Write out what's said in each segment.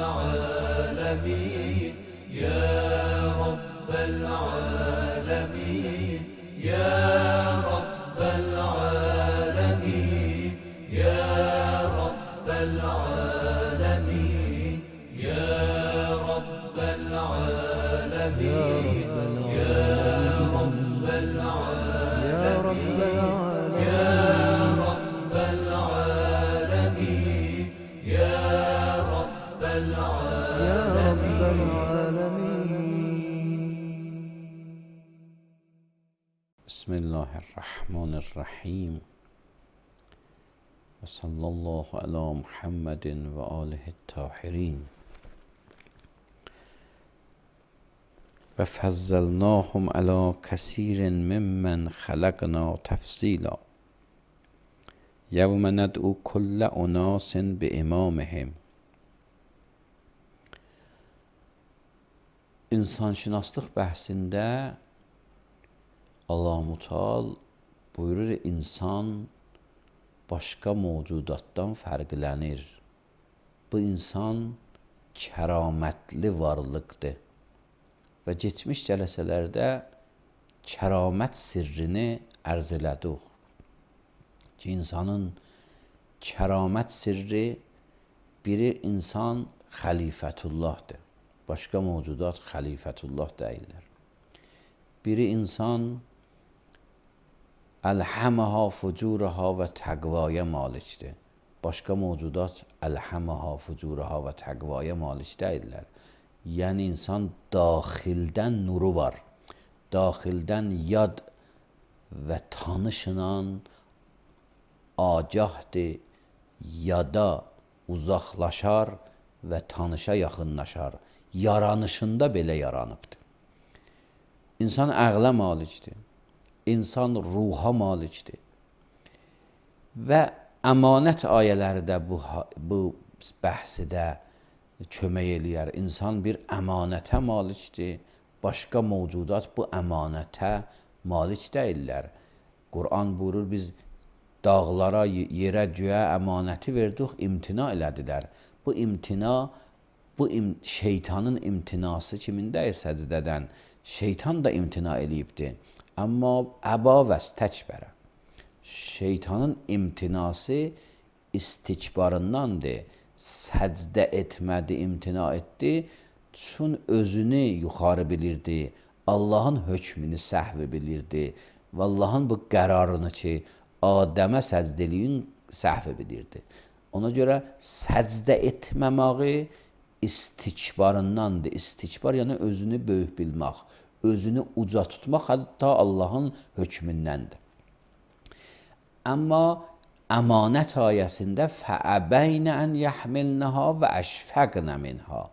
العالمين يا رب العالمين يا رب العالمين يا رب العالمين يا رب العالمين يا رب العالمين يا رب العالمين يا رب العالمين. بسم الله الرحمن الرحیم و صلی الله علی محمد و آله الطاهرین و فضلناهم علی کثیر ممن خلقنا تفضیلا یوم ندعو کل اناس بامامهم. İnsanşünaslıq bəhsində Allah Müteal buyurur, insan başqa mövcudatdan fərqlənir. Bu insan kəramətli varlıqdır. Və keçmiş cələsələrdə kəramət sirrini ərz elədik. Ki, insanın kəramət sirri biri insan xəlifətullahdır. Başqa mövcudat xəlifətullah deyirlər. Biri insan əlhəməha fucuraha və təqvaya malikdir. Başqa mövcudat əlhəməha fucuraha və təqvaya malik deyirlər. Yəni insan daxildən nuru var. Daxildən yad və tanışınan agahdır, yada uzaqlaşar və tanışa yaxınlaşar. Yaranışında belə yaranıbdır. İnsan əqlə malikdir. İnsan ruha malikdir. Və əmanət ayələri də bu bəhsidə kömək eləyər. İnsan bir əmanətə malikdir. Başqa mövcudat bu əmanətə malik deyirlər. Quran buyurur, biz dağlara, yerə, göyə əmanəti verdik, imtina elədilər. Bu imtina, şeytanın imtinası kimindəyir səcdədən? Şeytan da imtina eləyibdir. Amma əba və stəkbərə. Şeytanın imtinası istikbarındandır. Səcdə etmədi, imtina etdi. Çün özünü yuxarı bilirdi. Allahın hökmünü səhvi bilirdi. Və Allahın bu qərarını ki, Adəmə səcdə eləyin səhvi bilirdi. Ona görə səcdə etməməyi istikbarındandır. İstikbar yəni özünü böyük bilmək, özünü uca tutmaq, hətta Allahın hökmündəndir. Amma əmanət ayəsində fəəbəynə ən yəhmilnəha və əşfəqnə minha.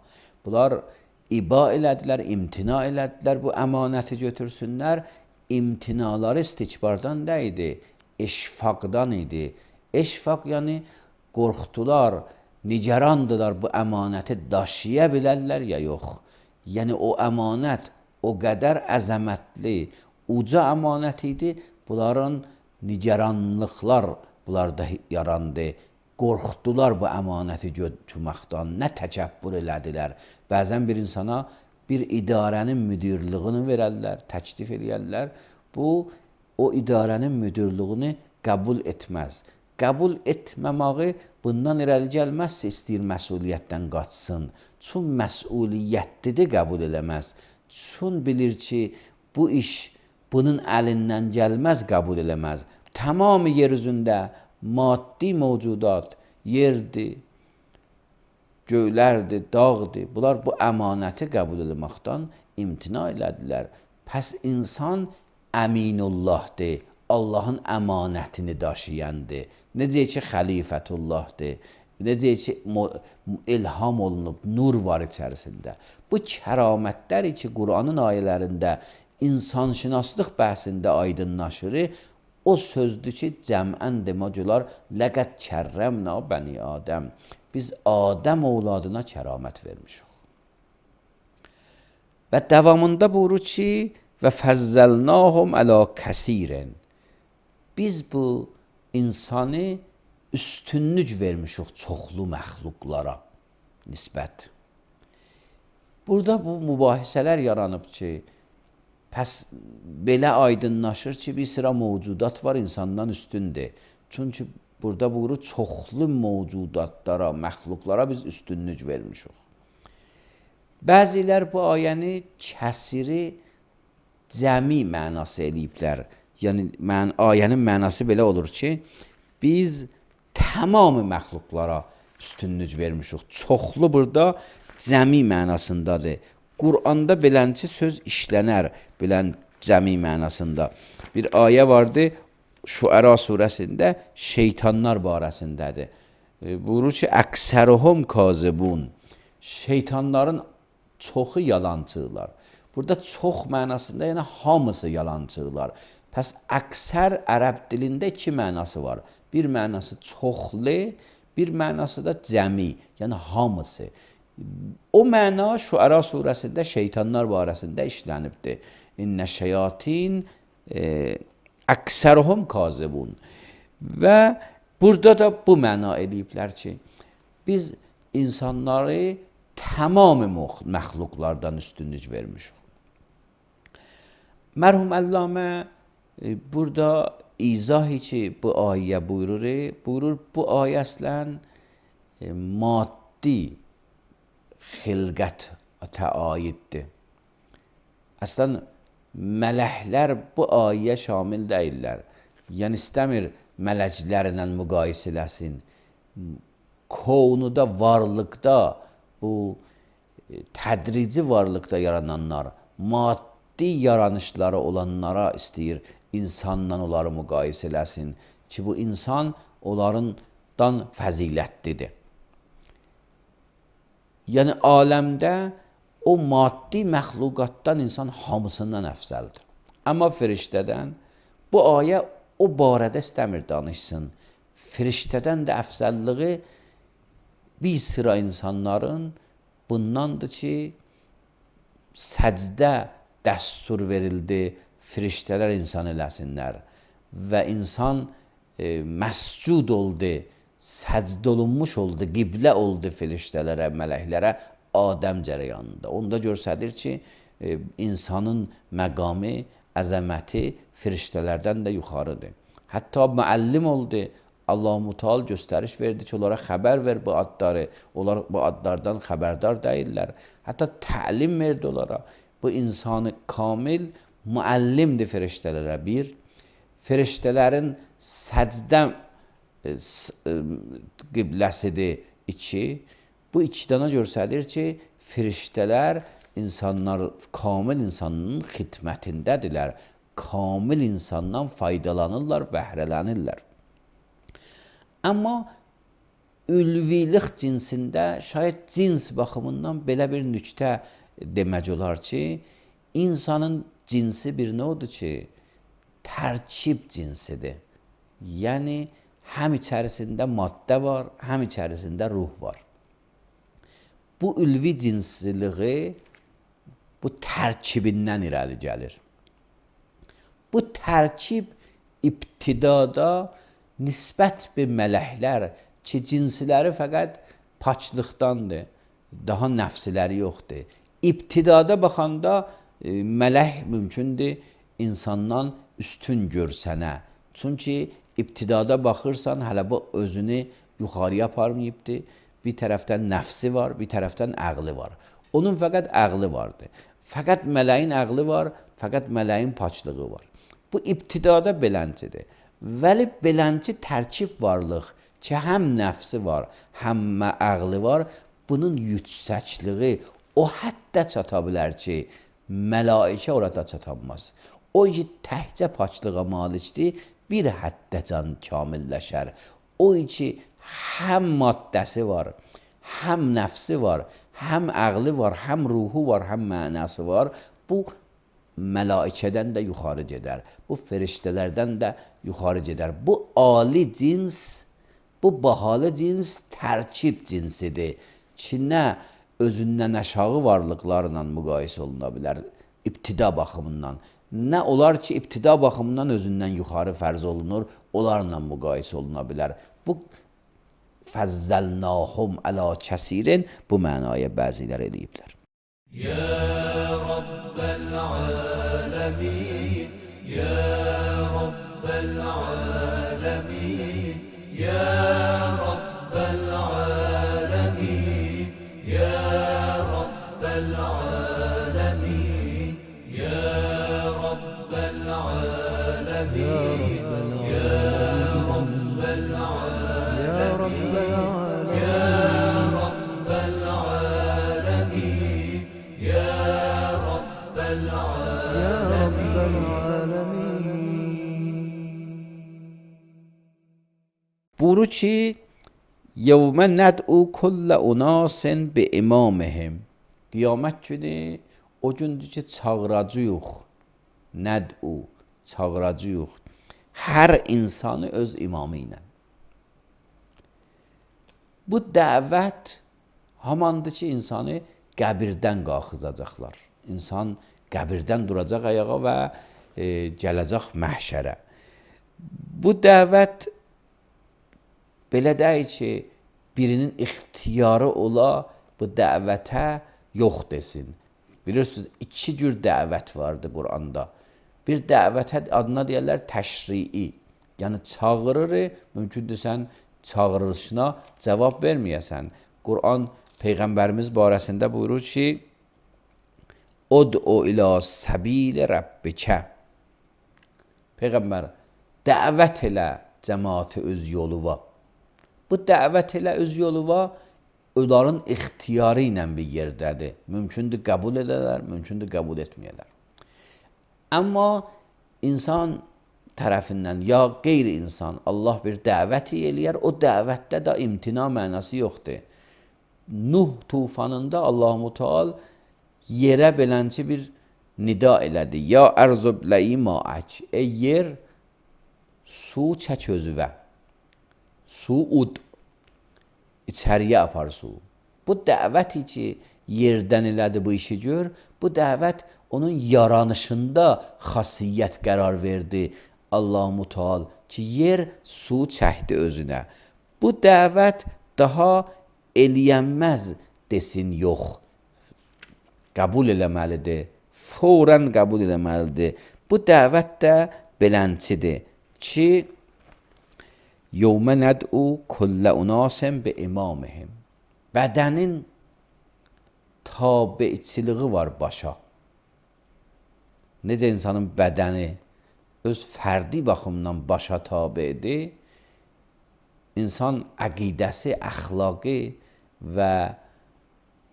Bunlar iba elədilər, imtina elədilər, bu əmanəti götürsünlər. İmtinaları istikbardan deyildi, eşfaqdan idi. Eşfaq yəni qorxdular, nigarandılar, bu əmanəti daşıya bilərlər ya yox. Yəni o əmanət o qədər əzəmətli, uca əmanət idi. Bunların nigaranlıqlar bunlarda yarandı. Qorxdular bu əmanəti götürməkdən, nə təkəbbür elədilər. Bəzən bir insana bir idarənin müdirliyini verərlər, təklif eləyərlər. Bu, o idarənin müdirliyini qəbul etməz. Qəbul etməməyi bundan irəli gəlməzsə istəyir məsuliyyətdən qaçsın. Çün məsuliyyətlidir, qəbul eləməz. Çün bilir ki, bu iş bunun əlindən gəlməz, qəbul eləməz. Tamamı yer üzündə maddi mövcudat, yerdir, göylərdir, dağdır. Bunlar bu əmanəti qəbul eləməkdən imtina elədilər. Pəs insan əminullahdır, Allahın əmanətini daşıyandır. Necə ki, xəlifətullahdır, necə ki, ilham olunub, nur var içərisində. Bu kəramətlər ki, Quranın ayələrində insanşünaslıq bəhsində aydınlaşır. O sözdür ki, cəmən demək olar, ləqəd kərrəmna bəni Adəm. Biz Adəm ovladına kəramət vermişik. Və davamında buyurur ki, və fəzzəlnahum ələ kəsirin. Biz bu insanı üstünlük vermişik çoxlu məxluqlara nisbət. Burada bu mübahisələr yaranıb ki, pəs belə aydınlaşır ki, bir sıra mövcudat var insandan üstündür. Çünki burada buyurur, çoxlu mövcudatlara, məxluqlara biz üstünlük vermişik. Bəzilər bu ayəni kəsiri cəmi mənası eləyiblər. Yəni ayənin mənası belə olur ki, biz tamamı məxluqlara üstünlük vermişik. Çoxlu burada cəmi mənasındadır. Quranda belənçi söz işlənər, bilən cəmi mənasında. Bir ayə vardı, Şuəra surəsində şeytanlar barəsindədir. Buyurur ki, əksəruhum kazibun. Şeytanların çoxu yalancılar. Burada çox mənasında, yəni hamısı yalancılar. Pəs əksər ərəb dilində iki mənası var. Bir mənası çoxlu, bir mənası da cəmi, yəni hamısı. O məna Şuəra surəsində şeytanlar barəsində işlənibdir. İnnə şeyatin əksəruhum kazibun. Və burada da bu məna eləyiblər ki, biz insanları tamamı məxluqlardan üstünlük vermişik. Mərhum Əllamə burada izahi ki, bu ayə buyurur, bu ayə əslən maddi xilqətə aiddir. Əslən, mələklər bu ayəyə şamil deyirlər. Yəni, istəmir mələklərlə müqayisə eləsin. Kovnuda, varlıqda, bu tədrici varlıqda yarananlar, maddi yaranışları olanlara istəyir insanla onları müqayisə eləsin ki, bu insan onlardan fəzilətlidir. Yəni, aləmdə o maddi məxluqatdan insan hamısından əfzəldir. Amma firiştədən bu ayə o barədə istəmir danışsın. Firiştədən də əfzəlliği bir sıra insanların bundandır ki, səcdə dəstur verildi, firiştələr insan eləsinlər və insan məscud oldu, səcd olunmuş oldu, qiblə oldu firiştələrə, mələklərə Adəm cərəyanında. Onda görsədir ki, insanın məqamı, əzəməti firiştələrdən də yuxarıdır. Hətta müəllim oldu, Allah-u Teala göstəriş verdi ki, onlara xəbər ver bu adları, onlar bu adlardan xəbərdar deyirlər. Hətta təlim verdi onlara. Bu insanı kamil müəllimdir firiştələrə. Bir, firiştələrin səcdə qibləsidir. İki, bu iki dana göstərir ki, firiştələr insanlar, kamil insanın xidmətindədirlər. Kamil insandan faydalanırlar, bəhrələnirlər. Amma ülvilik cinsində şayət cins baxımından belə bir nüktə demək olar ki, insanın cinsi bir nə odur ki, tərkib cinsidir. Yəni, həm içərisində maddə var, həm içərisində ruh var. Bu ülvi cinsiliği bu tərkibindən irəli gəlir. Bu tərkib ibtidada nisbət bir mələklər ki, cinsiləri fəqət paçlıqdandır, daha nəfsiləri yoxdur. İbtidada baxanda mələk mümkündür insandan üstün görsənə. Çünki ibtidada baxırsan, hələ bu özünü yuxarıya aparmayıbdır. Bir tərəfdən nəfsi var, bir tərəfdən əqli var. Onun fəqət əqli vardır. Fəqət mələyin əqli var, fəqət mələyin paçlığı var. Bu ibtidada beləncidir. Vəli belənci tərkib varlıq ki, həm nəfsi var, həm əqli var, bunun yüksəkliyi o həddə çata bilər ki, mələikə orada çatanmaz. O ki, təhcə paçlığa malikdir, bir həddəcan kamilləşər. O ki, həm maddəsi var, həm nəfsi var, həm əqli var, həm ruhu var, həm mənası var. Bu mələikədən də yuxarı gedər. Bu firiştələrdən də yuxarı gedər. Bu ali cins, bu bahalı cins tərkib cinsidir ki, nə özündən aşağı varlıqlarla müqayisə oluna bilər ibtida baxımından. Nə olar ki, ibtida baxımından özündən yuxarı fərz olunur, onlarla müqayisə oluna bilər. Bu fəzzəlnahum əla kəsirin bu mənaya bəzilər eləyiblər. يا رب العالمين يا رب العالمين يا رب العالمين يا رب العالمين يا رب العالمين يا رب العالمين يا رب العالمين يا رب العالمين يا رب العالمين. Buyurur ki yevme ned'u kulle unasin bi imamihim. Qiyamət günü o gündür ki çağıracağıq. Ned'u çağıracağıq hər insanı öz imamı ilə. Bu dəvət hamandır ki insanı qəbirdən qalxızacaqlar. İnsan qəbirdən duracaq ayağa və gələcək məhşərə. Bu dəvət belə deyil ki, birinin ixtiyarı ola bu dəvətə yox desin. Bilirsiniz, iki cür dəvət vardır Quranda. Bir dəvətə adına deyərlər təşrii. Yəni çağırır, mümkündür sən çağırılışına cavab verməyəsən. Quran Peyğəmbərimiz barəsində buyurur ki, Ud'u ila səbili Rabbikə. Peyğəmbər, dəvət elə cəmaatı öz yoluva. Bu dəvət elə öz yoluva onların ixtiyarı ilə bir yerdədir. Mümkündür qəbul edələr, mümkündür qəbul etməyələr. Amma insan tərəfindən ya qeyri-insan Allah bir dəvət eləyər, o dəvətdə də imtina mənası yoxdur. Nuh tufanında Allah-u Teala yerə belənçi bir nida elədi. Ya ərzub ləyi ma'ək. Ey yer, su çək özüvə. Su ud. İçəriyə apar su. Bu dəvəti ki, yerdən elədi bu işi gör, bu dəvət onun yaranışında xasiyyət qərar verdi. Allah-u Teala ki, yer su çəkdi özünə. Bu dəvət daha eləyənməz desin yox. Qəbul eləməlidir. Fौrən qəbul eləməlidir. Bu dəvət də belənçidir ki, yevmə nəd'u kullə unasin bi imamihim. Bədənin tabiçiliği var başa. Necə insanın bədəni öz fərdi baxımdan başa tabidir, insan əqidəsi, əxlaqı və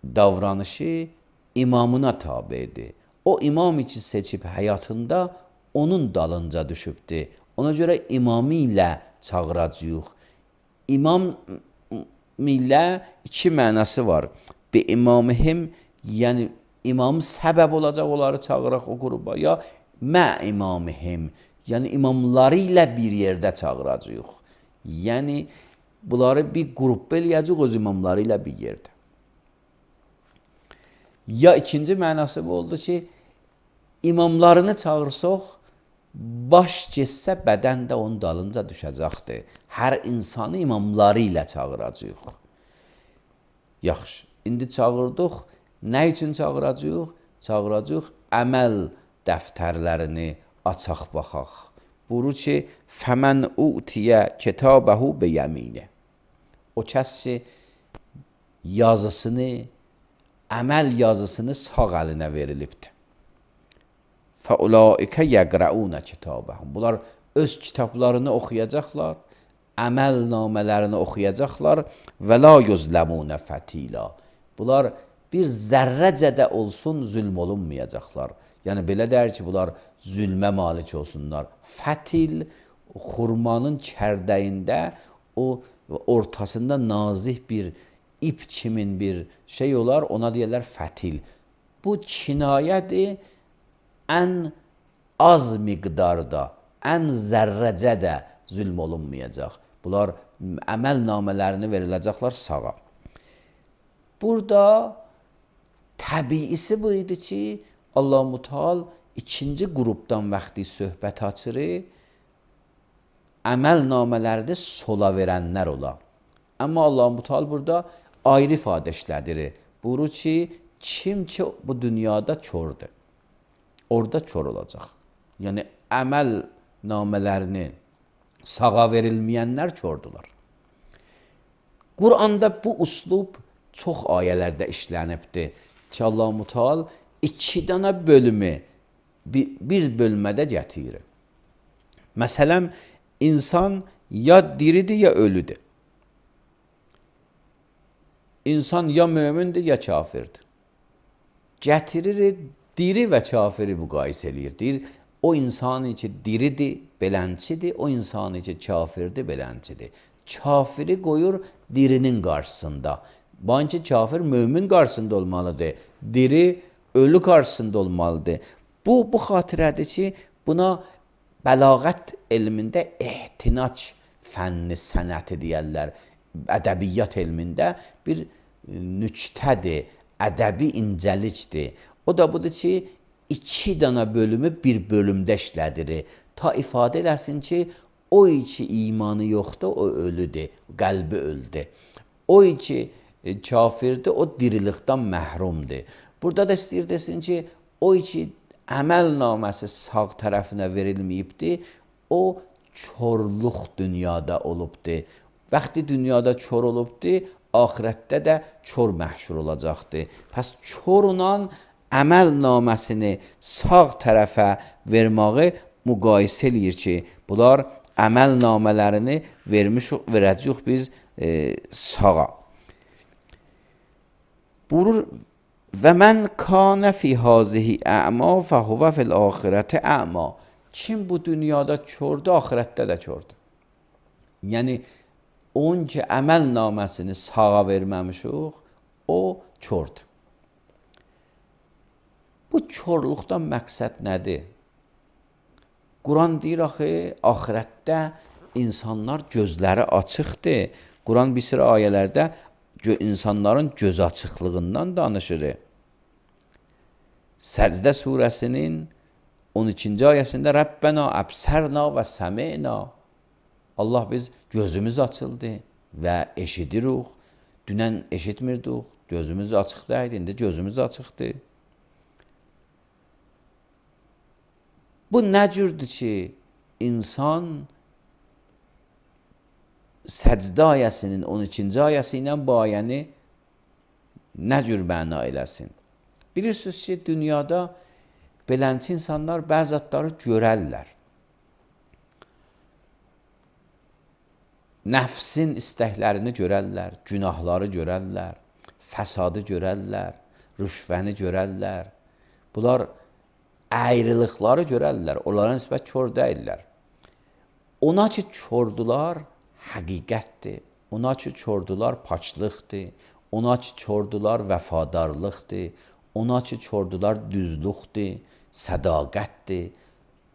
davranışı imamına tabidir. O imamı ki seçib həyatında onun dalınca düşübdür. Ona görə imamı ilə çağıracağıq. İmam ilə iki mənası var. Bi imamihim, yəni imam səbəb olacaq onları çağıraq o qruba, ya mə imamihim, yəni imamları ilə bir yerdə çağıracağıq. Yəni bunları bir qrup eləyəcək öz imamları ilə bir yerdə. Ya ikinci mənası bu oldu ki, imamlarını çağırsaq, baş getsə bədən də onun dalınca düşəcəkdir. Hər insanı imamları ilə çağıracağıq. Yaxşı, indi çağırdıq. Nə üçün çağıracağıq? Çağıracağıq əməl dəftərlərini açaq baxaq. Buyurur ki, fəmən utiyə kitabəhu biyəmini. O kəs ki, yazısını, əməl yazısını sağ əlinə verilibdir. Fəulaikə yəqrəunə kitabəhum. Bunlar öz kitablarını oxuyacaqlar, əməl namələrini oxuyacaqlar və la yuzləmunə fətila. Bunlar bir zərrəcə də olsun zülm olunmayacaqlar. Yəni belə deyir ki, bunlar zülmə malik olsunlar. Fətil, xurmanın kərdəyində o ortasında nazik bir ip kimin bir şey olar, ona deyirlər fətil. Bu kinayədir, ən az miqdarda, ən zərrəcə də zülm olunmayacaq. Bunlar əməl namələrini veriləcəklər sağa. Burada təbiisi bu idi ki, Allah-u Teala ikinci qrupdan vaxtı söhbət açırı, əməl namələrdə sola verənlər ola. Amma Allah-u Teala burada ayrı ifadə işlədir. Buyurur ki, Kim ki bu dünyada çordur, orada kör olacaq. Yəni əməl namələrini sağa verilməyənlər kördülər. Quranda bu uslub çox ayələrdə işlənibdir ki, Allah-u Teala 2 dənə bölümü bir bölmədə gətirir. Məsələn, insan ya diridir ya ölüdür. İnsan ya mömindir ya kafirdir. Gətirir, diri və kafiri müqayisə eləyir. Deyir, o insan ki diridir, belənçidir, o insan ki kafirdir, belənçidir. Kafiri qoyur dirinin qarşısında. Bence kafir mömin qarşısında olmalıdır. Diri ölü qarşısında olmalıdır. Bu xatirədir ki, buna bəlağət elmində ehtinac fənni sənəti deyərlər. Ədəbiyyat elmində bir nüktədir, ədəbi incəlikdir. O da budur ki, 2 dənə bölümü bir bölümdə işlədirir. Ta ifadə eləsin ki, o ki imanı yoxdur, o ölüdür, qəlbi öldü. O ki kafirdir, o dirilikdən məhrumdur. Burada da istəyir desin ki, o ki əməl naməsi sağ tərəfinə verilməyibdir, o körlük dünyada olubdur. Vaxtı dünyada kör olubdur, axirətdə də kör məhşur olacaqdır. Pəs körla əməl naməsini sağ tərəfə verməyi müqayisə eləyir ki, bunlar əməl namələrini verəcəyik biz sağa. Buyurur, və mən kanə fi hazihi ə'ma fəhuvə fil axirəti ə'ma. Kim bu dünyada kördür, axirətdə də kördür. Yəni, onun ki əməl naməsini sağa verməmişik, o kördür. Bu körlükdən məqsəd nədir? Quran deyir axı, axirətdə insanlar gözləri açıqdır. Quran bir sıra ayələrdə insanların göz açıqlığından danışır. Səcdə surəsinin 12-ci ayəsində Rəbbənə əbsərna və səmi'na. Allah biz gözümüz açıldı və eşidirik. Dünən eşitmirdik, gözümüz açıqdaydı, indi gözümüz açıqdır. Bu nə cürdür ki, insan Səcdə ayəsinin 12-ci ayəsi ilə bu ayəni nə cür məna eləsin? Bilirsiniz ki, dünyada belənçi insanlar bəzi adları görərlər. Nəfsin istəklərini görərlər, günahları görərlər, fəsadı görərlər, rüşvəni görərlər. Bunlar əyrılıqları görərlər, onlara nisbət kör deyirlər. Ona ki, kördülər, həqiqətdir. Ona ki, kördülər, paçlıqdır. Ona ki, kördülər, vəfadarlıqdır. Ona ki, kördülər, düzlükdir, sədaqətdir.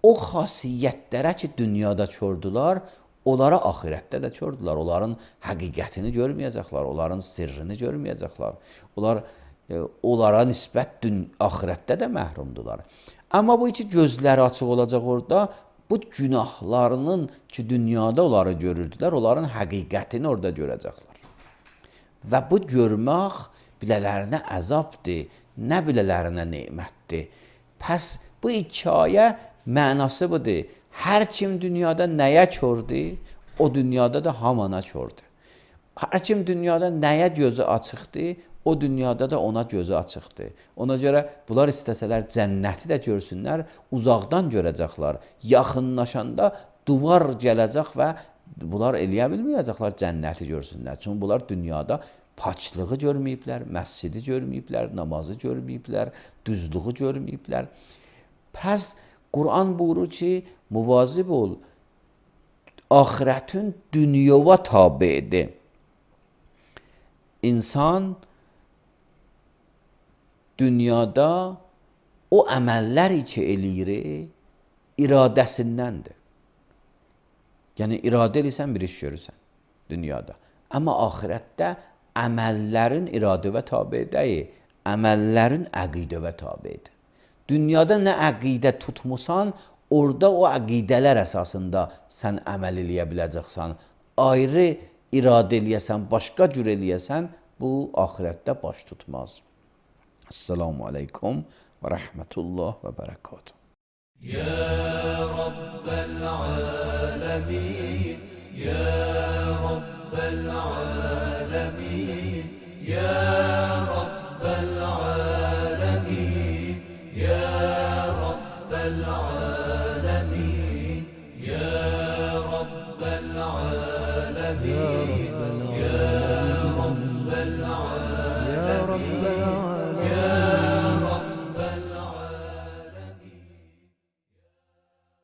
O xasiyyətlərə ki, dünyada kördülər, onlara axirətdə də kördülər. Onların həqiqətini görməyəcəklər, onların sirrini görməyəcəklər. Onlara nisbət axirətdə də məhrumdular. Amma bu iki gözləri açıq olacaq orada, bu günahlarının ki, dünyada onları görürdülər, onların həqiqətini orada görəcəklər. Və bu görmək bilələrinə əzabdır, nə bilələrinə nemətdir. Pəs bu hekayə mənası budur. Hər kim dünyada nəyə kördür, o dünyada da hamana kördür. Hər kim dünyada nəyə gözü açıqdır, o dünyada da ona gözü açıqdır. Ona görə bunlar istəsələr cənnəti də görsünlər, uzaqdan görəcəklər. Yaxınlaşanda duvar gələcək və bunlar eləyə bilməyəcəklər cənnəti görsünlər. Çünki bunlar dünyada paçlığı görməyiblər, məscidi görməyiblər, namazı görməyiblər, düzlüğü görməyiblər. Pəs Quran buyurur ki, muvazib ol, axirətin dünyova tabidir. İnsan dünyada o əməllər ki eləyir, iradəsindəndir. Yəni, iradə eləysən bir iş görürsən dünyada. Amma axirətdə əməllərin iradəvə tabi deyil, əməllərin əqidəvə tabidir. Dünyada nə əqidə tutmusan, orada o əqidələr əsasında sən əməl eləyə biləcəksən. Ayrı iradə eləyəsən, başqa cür eləyəsən, bu axirətdə baş tutmaz. Esselamu Aleyküm ve Rahmetullah ve Berekatuhu. يا رب العالمين يا رب العالمين يا